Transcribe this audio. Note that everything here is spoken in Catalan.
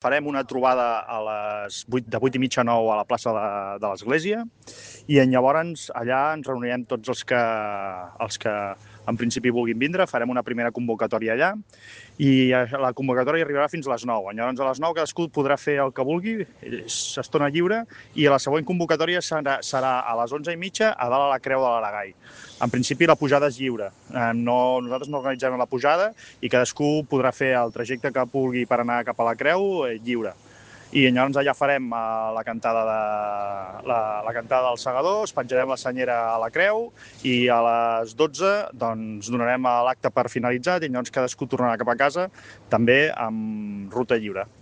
Farem una trobada a les 8, de 8 i mitja a 9 a la plaça de l'Església i llavors allà ens reunirem tots els que en principi vulguin vindre, farem una primera convocatòria allà i la convocatòria arribarà fins a les 9. Llavors a les 9 cadascú podrà fer el que vulgui, s'estona lliure, i la següent convocatòria serà a les 11 i mitja a dalt a la Creu de l'Aragai. En principi la pujada és lliure, nosaltres no organitzem la pujada i cadascú podrà fer el trajecte que vulgui per anar cap a la Creu lliure. I llavors allà farem la cantada dels segadors, penjarem la senyera a la creu i a les 12 doncs, donarem l'acte per finalitzat i llavors cadascú tornarà cap a casa també amb ruta lliure.